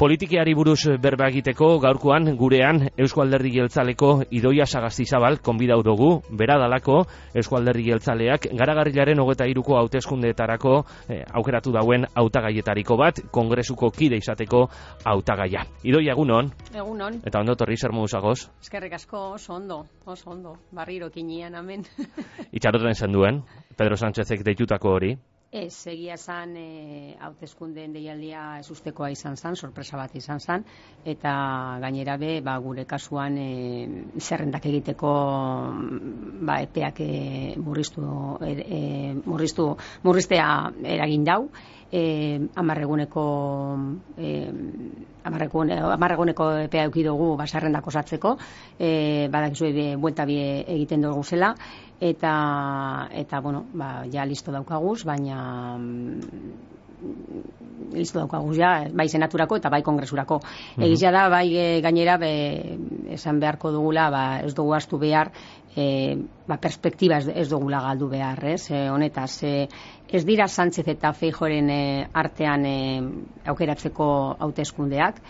Politikiari buruz berba egiteko gaurkoan gurean Eusko Alderdi Jeltzaleko Idoia Sagastizabal konbidatu dugu, bera dalako Eusko Alderdi Jeltzaleak garagarrilaren 23ko hauteskundeetarako aukeratu dauen hautagaietariko bat, kongresuko kide izateko hautagaia. Idoia, egunon. Egunon. Eta ondo torri zer moduz agoz? Eskerrik asko, oso ondo, barriro kinian, amen. Itxaroten zen duen, Pedro Sánchezek deitutako hori? Ez, egia zan, hauteskundeen deialdia ezustekoa izan zan, sorpresa bat izan zan, eta gainera be, gure kasuan zerrendak egiteko epeak murriztea eragin dau, amarreguneko epea eduki dugu zerrendak osatzeko, badakizue buelta bi egiten dugu zela, eta bueno, ja listo daukaguz, baina listo daukaguz ja, bai senaturako eta bai kongresurako. Egizia da, bai gainera esan beharko dugula, ez dugu astu behar, perspektiba ez dugula galdu behar, honetaz, ez dira Sánchez eta Feijóoren artean aukeratzeko hauteskundeak,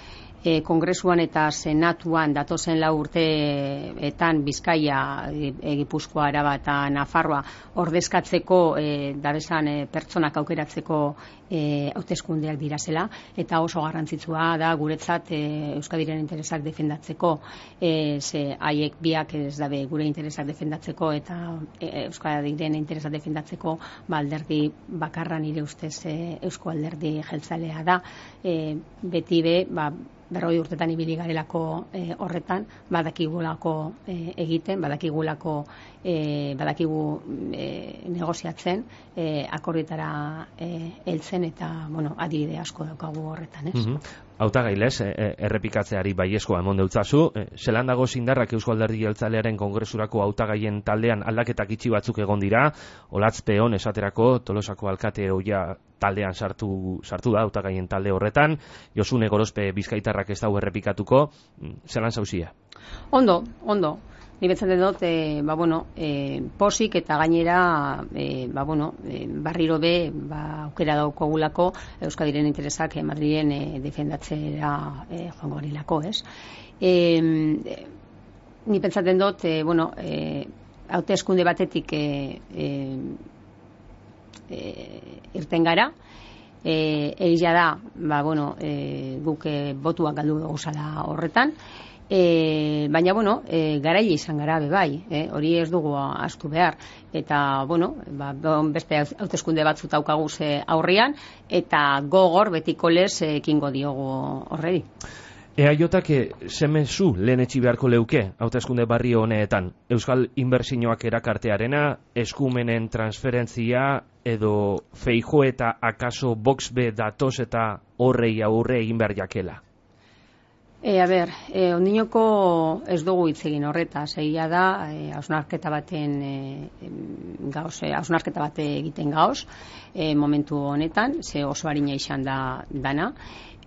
kongresuan eta senatuan datozen 4 urteetan Bizkaia, Gipuzkoa, Araba eta Nafarroa ordezkatzeko dabesan pertsonak aukeratzeko hauteskundeak dirazela, eta oso garrantzitsua da guretzat Euskadiren interesak defendatzeko, haiek biak ez dabe gure interesak defendatzeko eta Euskadiren interesak defendatzeko, alderdi bakarra nire ustez Eusko Alderdi Jeltzalea da, beti be, 40 urtetan ibili garelako horretan, badakigulako egiten, badakigu negoziatzen, akordietara heltzen, eta adibide asko daukagu horretan, ez? Hautagailez, errepikatzeari baiezkoa emon deutzazu, zelan dago indarrak Eusko Alderdi Jeltzalearen kongresurako hautagaien taldean aldaketak itxi batzuk egon dira, Olatz Peon esaterako Tolosako alkate ohia taldean sartu da hautagaien talde horretan, Josune Gorospe bizkaitarrak ez dago errepikatuko, zelan zauzia? Ondo. Ni betzaten dut, posik eta gainera, barriro be, aukera daukagulako Euskadiren interesak Madrilen defendatzera joango garilako, ez? Ni pentsaten dut, hauteskunde batetik irten gara, egia da, guk botuak galdu gauzala horretan, baina, garaile izan gara bai, hori ez dugu astu behar, eta, beste hauteskunde batzut daukaguz aurrian, eta gogor betiko lez ekingo diogu horredi. EAJak zemezu lehen etxi beharko leuke hauteskunde barri honeetan, Euskal Inbertsioak erakartearena, eskumenen transferentzia, edo Feijóo eta akaso Vox be datoz eta horrei aurre egin behar jakela? Ondinoko ez dugu hitz egin horretaz, egia da, hausnarketa bat egiten gauz, momentu honetan, ze oso harina izan da dana,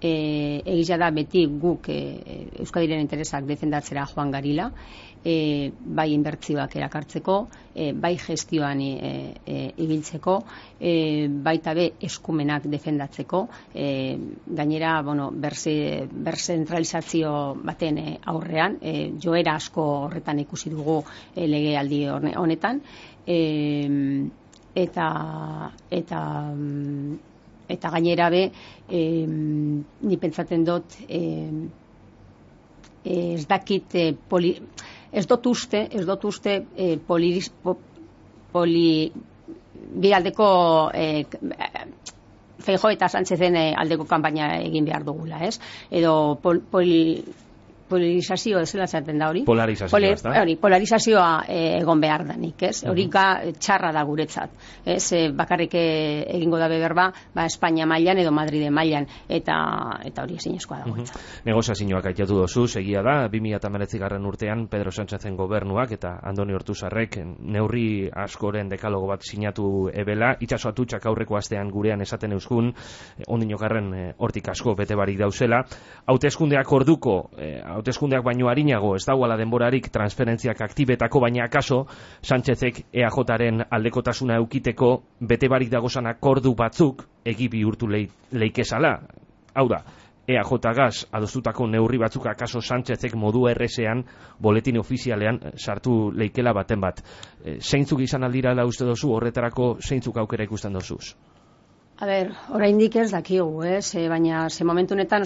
egia da beti guk Euskadiren interesak defendatzera joan garila, bai inbertsioak erakartzeko, bai gestioan ibiltzeko, baita be eskumenak defendatzeko, gainera, berzentralizazio baten aurrean, joera asko horretan ikusi dugu legealdi honetan, eta gainera be, ni pentsaten dut, ez dakit ez dut uste bi aldeko Feijóo eta Sánchezen aldeko kanpaina egin behar dugula, ez? Edo polarizazio, ez zela zaten da hori? Polarizazioa egon behar danik, ez? Hori txarra da guretzat, ez? Bakarrik egingo da berba, Espainia mailan edo Madride mailan, eta hori ezinezkoa da guretzat. Negoziazioak aitatu dozu, segia da, 2019 urtean Pedro Sánchezen gobernuak eta Andoni Ortuzarrek neurri askoren dekalogo bat sinatu ebela, itxaso atutxak aurreko astean gurean esaten euskun, ondinokarren hortik asko bete barik dauzela, hauteskundeak orduko, hauteskundeak baino arinago ez dagoela denborarik transferentziak aktibetako, baina akaso Sánchezek EAJaren aldekotasuna eukiteko bete barik dagozan akordu batzuk egi bihurtu leikezala. Hau da, EAJ-gaz adostutako neurri batzuk akaso Sánchezek modu errezean boletin ofizialean sartu leikela baten bat. Zeintzuk izan aldira da uste dozu, horretarako zeintzuk aukera ikusten dozuz? A ber, oraindik ez dakigu, baina ze momentu honetan,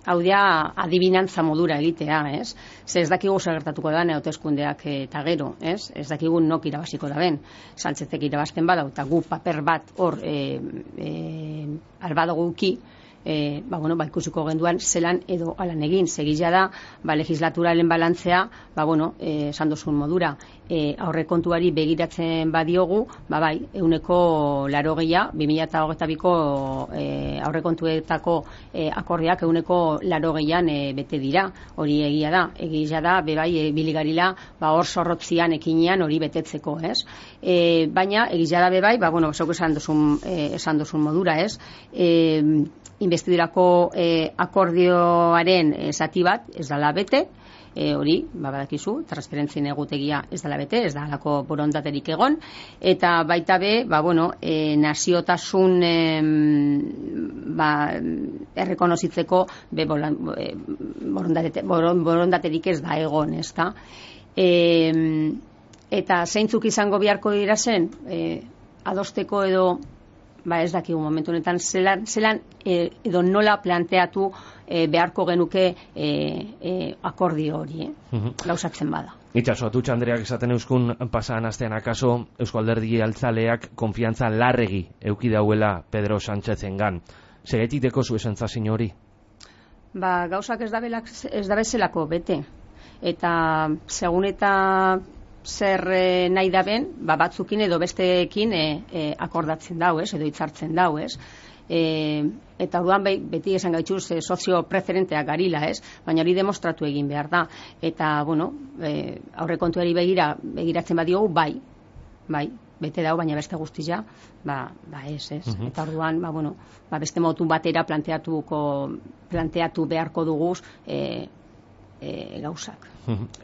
hau da adibinantza modura egitea, ez? Ez dakigu zer gertatuko da hauteskundeak eta gero, ez? Ez dakigu nok irabaziko da ben. Sánchezek irabazten badau eta gu paper bat hor albadugu uki, ikusiko genduan zelan edo alan egin. Segila da, legislaturalen balantzea, esan dozun modura, aurrekontuari begiratzen badiogu, 80%, 2022ko aurrekontuetako akordiak 80%an bete dira. Hori egia da, biligarila, hor zorrotzian ekinean hori betetzeko, ez? Baina, egia da, zuk esan dozun modura, ez? Investidurako akordioaren zati bat ez dala bete, hori, badakizu, transferentzien egutegia ez dala bete, ez dalako borondaterik egon, eta baita be, naziotasun errekonozitzeko borondaterik ez da egon, ez da. Eta zeintzuk izango beharko dira zen, adosteko edo ez dakigu momentu honetan zelan edo nola planteatu beharko genuke akordio hori, gauzatzen bada. Itxaso, Atutxa Andreak esaten euskun pasan astean akaso Eusko Alderdi Jeltzaleak konfiantza larregi euki dauela Pedro Sánchezengan. Segetik deko zu esentzazin hori? Gauzak ez da bezelako bete. Eta segun eta zer nahi da ben, batzukin edo besteekin akordatzen dau, edo hitzartzen dau, eta orduan beti esan gaituz sozio preferenteak garila, baina hori demostratu egin behar da. Eta, aurrekontuari begiratzen badiogu, bai, bete dau, baina beste guztia, ez. Eta orduan, beste motu batera planteatu beharko duguz gauzak.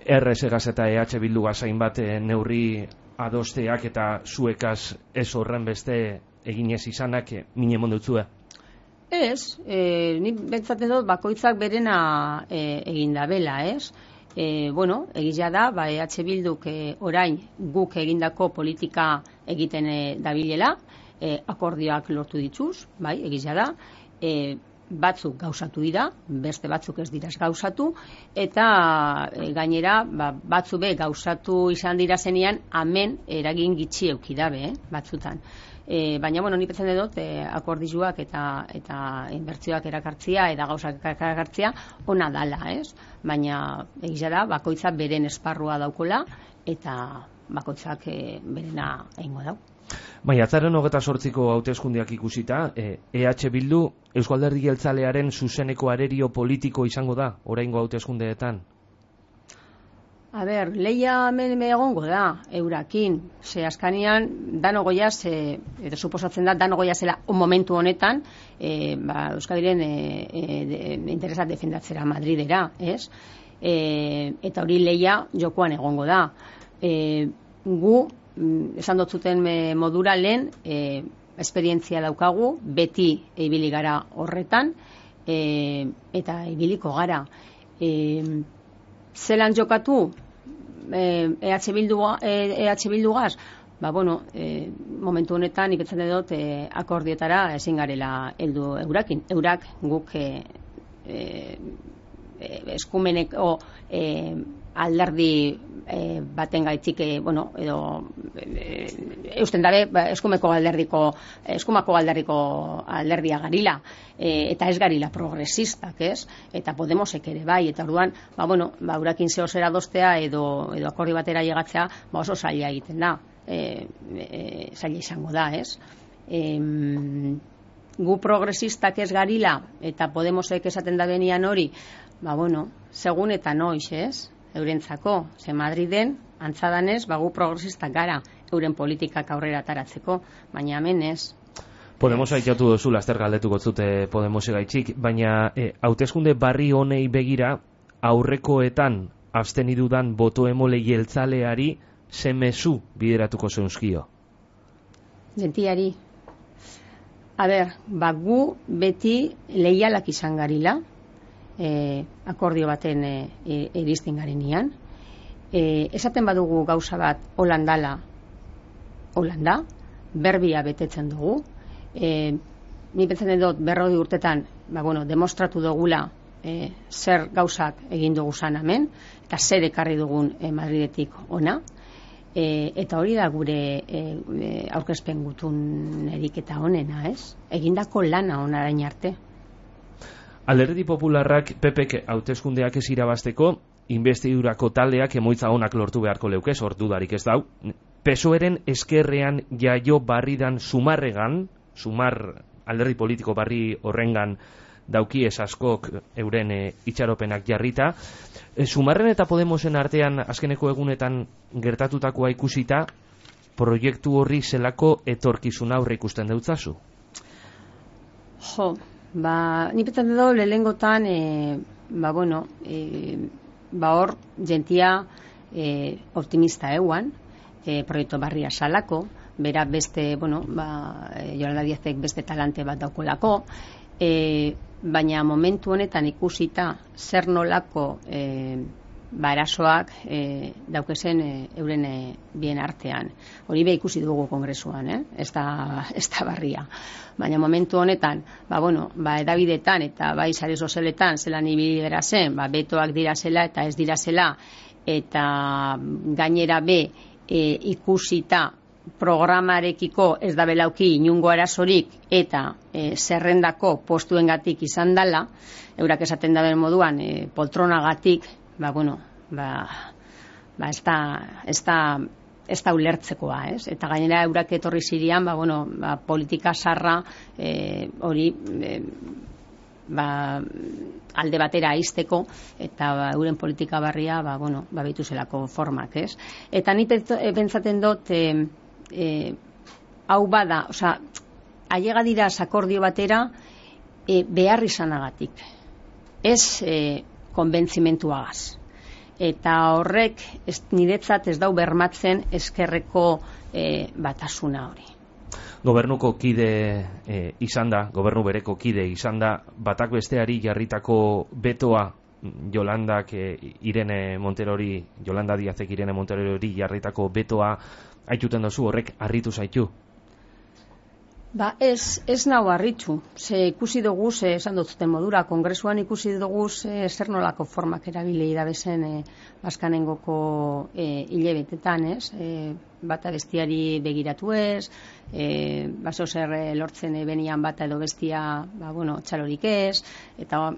RS-gaz eta EH Bildu gazain bat neurri adosteak eta zuekaz ez horren beste eginez izanak mine mondutzue? Ez, ni bentsaten dut bakoitzak berena egin da bela, ez? Egia da, EH Bilduk orain guk egindako politika egiten dabilela, akordioak lortu dituz, egia da, batzuk gauzatu dira, beste batzuk ez dira gauzatu, eta gainera batzu gauzatu izan dira zenean, hemen eragin gitxi eukidabe, batzutan. Baina, ni pentsatzen dut, akordioak eta inbertsioak erakartzia, eta gauzak erakartzia, ona dala, ez? Baina, egia da, bakoitzak beren esparrua daukola, eta bakoitzak berena egingo dau. Maiatzaren 28ko hauteskundeak ikusita, EH Bildu Eusko Alderdi Jeltzalearen zuzeneko arerio politiko izango da, oraingo hauteskundeetan? A ber, lehia egongo da, eurakin, ze askanian, dano goiaz, edo suposatzen da, dano goiazela momentu honetan, Euskadiren interesat defendatzera Madridera, ez? Eta hori lehia jokoan egongo da. Gu, esan dotzuten modura lehen, esperientzia daukagu, beti ibili gara horretan, eta ibiliko gara. Zelan jokatu EH Bildugaz? Momentu honetan iketzen dut akordietara ezin garela heldu eurakin. Eurak guk eskumeneko alderdi baten gaitzik, edo eusten dabe eskumako alderdiko alderdia garila, eta ez garila progresistak, ez? Eta Podemosek ere bai, eta orduan, urakin zehozera dostea edo akordi batera llegatzea, oso zaila egiten da, zaila izango da, ez? Gu progresistak ez garila, eta Podemosek esaten da benian hori, segun eta noiz, ez? Eurentzako, ze Madriden, antzadanez, gu progresistak gara, euren politikak aurrera ataratzeko, baina hemen ez. Podemos aitatu dozu, laster galdetuko zute Podemos gaitxik, baina hauteskunde barri honei begira, aurrekoetan abstenidudan boto emole jeltzaleari ze mezu bideratuko zeunzkio? Gentiari. A ber, gu beti leialak izan garila, akordio baten iristen garenean. Esaten badugu gauza bat Holandala, Holanda, berbia betetzen dugu. Ni pentsatzen dut 40 urtetan, demostratu dugula zer gauzak egin dugu zan hemen, eta zer ekarri dugun Madridetik ona. Eta hori da gure aurkezpen gutun eriketa honena, ez? Egindako lana onarain arte. Alderdi Popularrak PPk hauteskundeak ez irabazteko, investidurako taldeak emaitza onak lortu beharko leuke, dudarik ez dau. PSOEren eskerrean jaio barridan Sumarregan, Sumar alderdi politiko barri horrengan dauki ez askok euren itxaropenak jarrita. Sumarren eta Podemosen artean azkeneko egunetan gertatutakoa ikusita, proiektu horri zelako etorkizuna aurre ikusten deutzazu? Ni pentsatzen dut lehengotan, hor jentia optimista euan, proiektu barria salako, bera beste, Yolanda Díazek beste talante bat daukolako, baina momentu honetan ikusita zer nolako erasoak daukezen euren bien artean. Hori be ikusi dugu kongresuan, ez da barria. Baina momentu honetan, edabidetan eta bai sare sozialetan zelan ibili bera zen, betoak dira zela eta ez dira zela, eta gainera be ikusita programarekiko ez da belauki inungo arazorik eta zerrendako postuengatik izan dela, eurak esaten daben moduan poltronagatik, ez da ulertzekoa, ez? Eta gainera eurak etorri zirian, politika sarra hori alde batera aizteko eta euren politika barria behitu zelako formak, ez? Eta ni pentsaten dut hau bada, ailega dira akordio batera behar izanagatik, ez konbentzimentuagaz. Eta horrek niretzat ez dau bermatzen eskerreko batasuna hori. Gobernuko kide izan da, gobernu bereko kide izan da, batak besteari jarritako betoa Yolandak Irene Monterori, Yolanda Díazek Irene Monterori jarritako betoa aituten dozu, horrek harritu zaitu? Ez nau harritu. Ikusi dugu, esan dut modura, kongresuan ikusi dugu zer nolako formak erabili dabezen Baskanengoko hilebetetan, ez? Bata bestiari begiratu ez, baso zer lortzen benian bata edo bestia, txalorik ez, eta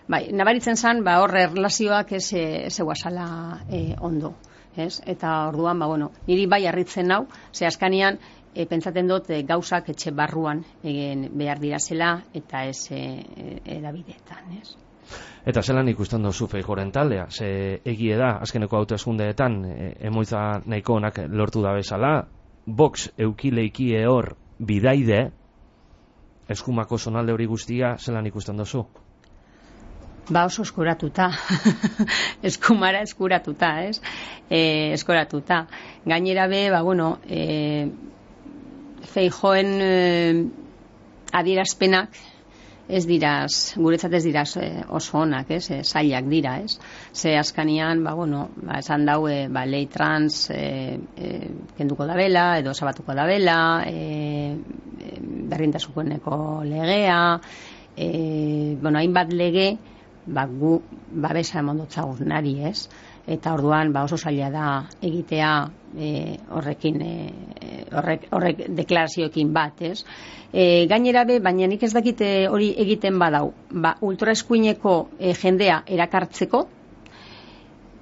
nabaritzen zan, hor erlazioak ez eguazala ondo, ez? Eta orduan, niri bai harritzen nau, ze askanian, pentsaten dut gauzak etxe barruan egin behar dira zela eta ez edabideetan, ez? Eta zelan ikusten duzu Feijóoren taldea? Ze egie da, azkeneko hauteskundeetan emoitza nahiko onak lortu da bezala, Vox eukileiki hor bidaide, eskumako zonalde hori guztia, zelan ikusten duzu? Oso eskuratuta, eskumara eskuratuta, ez? Eskuratuta. Gainera be, Feijóoren adierazpenak guretzat ez dira oso onak, ez? Zailak dira, ez? Ze askanian, esan dau, lei trans kenduko dabela, edo sabatuko dabela, berdintasunerako legea, hainbat lege, gu babesa emondotzagun nari, ez? Eta orduan oso zaila da egitea horrek deklarazioekin bat, ez? Gainera be, baina nik ez dakite hori egiten badau, ultraeskuineko jendea erakartzeko,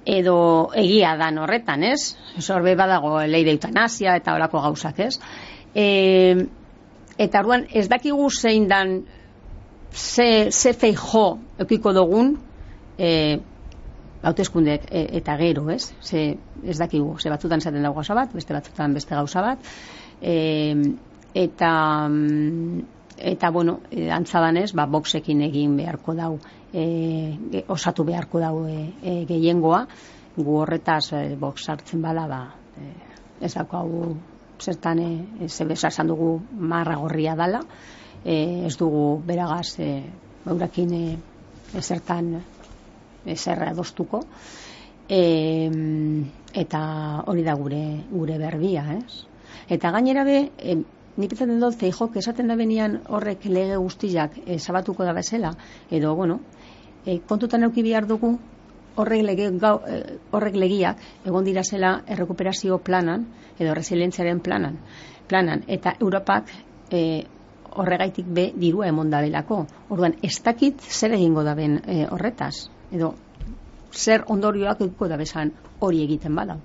edo egia dan horretan, ez? Horbe badago lei de eutanasia eta horako gauzak, ez? Eta orduan ez dakigu zein dan ze Feijóo eukiko dugun hauteskundeek eta gero, ez? Ez dakigu, ze batzutan esaten dago gauza bat, beste batzutan beste gauza bat, eta antzadanez, Voxekin egin beharko dau, osatu beharko dau gehiengoa, gu horretaz Vox hartzen bada, ez daukagu zertan, zebesa esan dugu marra gorria dala, ez dugu beragaz eurakin ezertan ezer adostuko, eta hori da gure berbia, ez? Eta gainera nik pentsatzen dut Feijok esaten da benian horrek lege guztiak zabatuko da bezala, edo, kontutan eduki behar dugu horrek legiak egon dirasela errekuperazio planan, edo resilientziaren planan, eta Europak horregaitik dirua emon dabelako. Orduan, ez dakit zer egingo daben horretaz, edo zer ondorioak eduko dabesan hori egiten bada.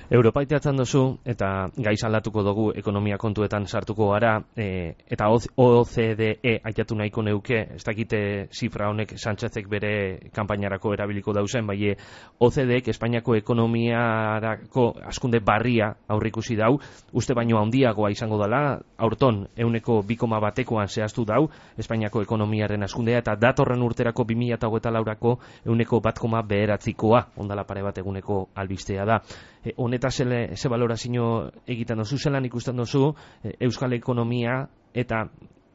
Europa iteatzen duzu, eta gaiz aldatuko dugu ekonomia kontuetan sartuko gara, eta OCDE aitatu nahiko neuke, ez dakite zifra honek Sánchezek bere kanpainarako erabiliko dauzen, bai OCDEek Espainiako ekonomiarako askunde barria aurrikusi dau, uste baino handiagoa izango dela, aurton 2,1koan zehaztu dau, Espainiako ekonomiaren askundea, eta datorren urterako 2024ko 1,9koa, ondala pare bat eguneko albistea da. Honeta ze balorazio egiten duzu, zelan ikusten duzu Euskal ekonomia eta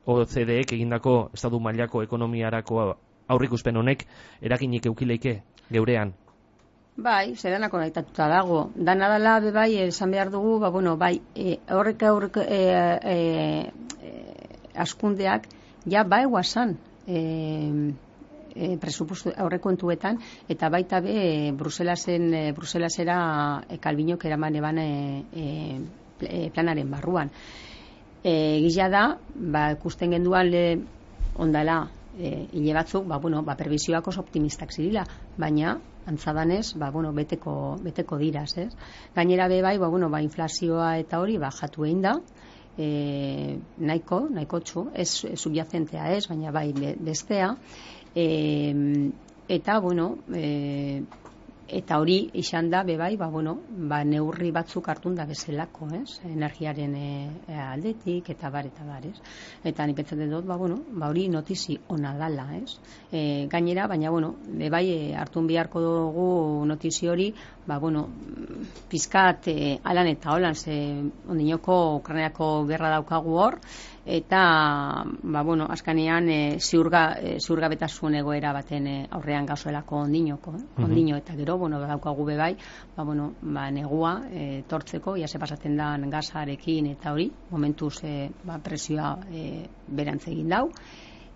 OCDEek egindako estatu mailako ekonomiarako aurrikuspen honek eraginik eukileike geurean? Bai, zeranako naitatuta dago. Dana dela, bai, esan behar dugu, horrek askundeak, ja, eguazan, presupuesto aurrekontuetan, eta baita Bruselasera Kalbinok eraman eban planaren barruan. Gila da, ikusten genduan ondala hile batzuk, prebisioak oso optimistak zirila, baina antzadanez, beteko diraz, ez? Gainera bai, inflazioa eta hori jatu egin da, nahiko txu, ez subjazentea ez, baina bai bestea, eta hori izan da bai, neurri batzuk hartun da bezalako, ez? Energiaren aldetik eta bar, ez? Eta ni pentsatzen dut, hori notizi ona dala, ez? Gainera, baina bai hartun beharko dugu notizi hori, pizkat alan eta holan, ondinoko Ukrainako gerra daukagu hor, eta azkanean ziurgabetasun egoera baten aurrean gauzuelako ondino, eta gero daukagu bai, negua tortzeko, ia se pasatzen da gazarekin eta hori, momentuz presioa berantz egin dau,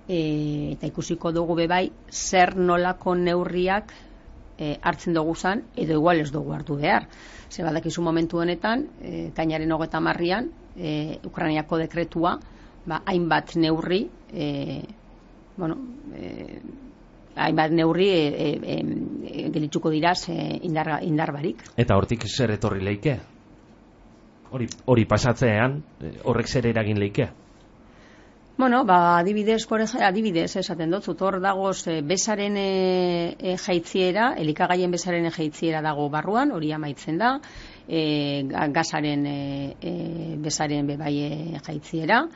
eta ikusiko dugu bai zer nolako neurriak hartzen dugu zan, edo igual ez dugu hartu behar. Ze badakizu momentu honetan, kainaren 30an, Ukrainiako dekretua, hainbat neurri, gelitzuko diraz indar barik. Eta hortik zer etorri leike? Hori pasatzean, horrek zer eragin leike? Adibidez esaten dut, hor dagoz bezaren jaitziera, elikagaien bezaren jaitziera dago barruan, hori amaitzen da, gazaren bezaren bebai jaitziera,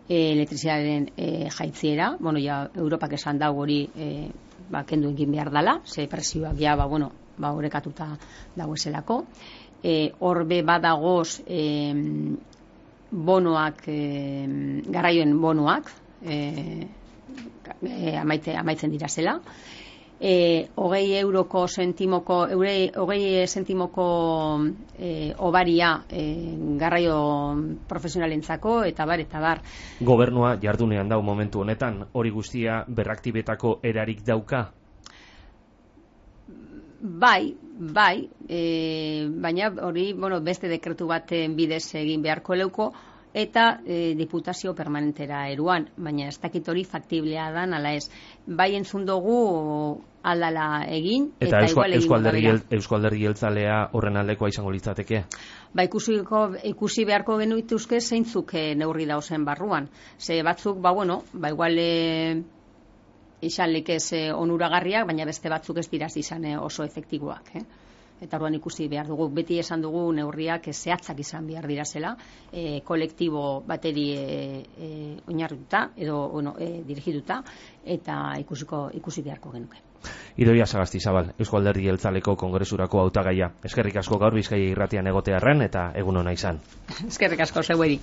elektrizidaren jaitziera, Europak esan dago hori kendu egin behar dela, ze presioak horrekatuta dagoezelako, hor badagoz bonoak, garraioen bonoak amaitzen dira zela, 20 sentimoko obaria garraio profesionalentzako eta bar. Gobernua jardunean dau momentu honetan, hori guztia berraktibetako erarik dauka? Bai, baina hori beste dekretu baten bidez egin beharko leuko, eta diputazio permanentera eruan, baina ez dakit hori faktiblea dan, ala ez. Bai entzun dugu aldala egin, eta Eusko Alderdi Jeltzalea horren aldekoa izango litzateke? Ikusi beharko genuituzke zeintzuk neurri dauzen barruan. Ze batzuk, igual izan lekez onuragarriak, baina beste batzuk ez diraz izan oso efektiboak. Eta orduan ikusi behar dugu, beti esan dugu neurriak zehatzak izan behar dirazela, kolektibo bateri oinarrituta edo dirigituta, eta ikusi beharko genuke. Idoia Sagastizabal, Eusko Alderdi Jeltzaleko kongresurako hautagaia. Eskerrik asko gaur Bizkaia irratian egotearren eta egun ona izan. Eskerrik asko zeueri.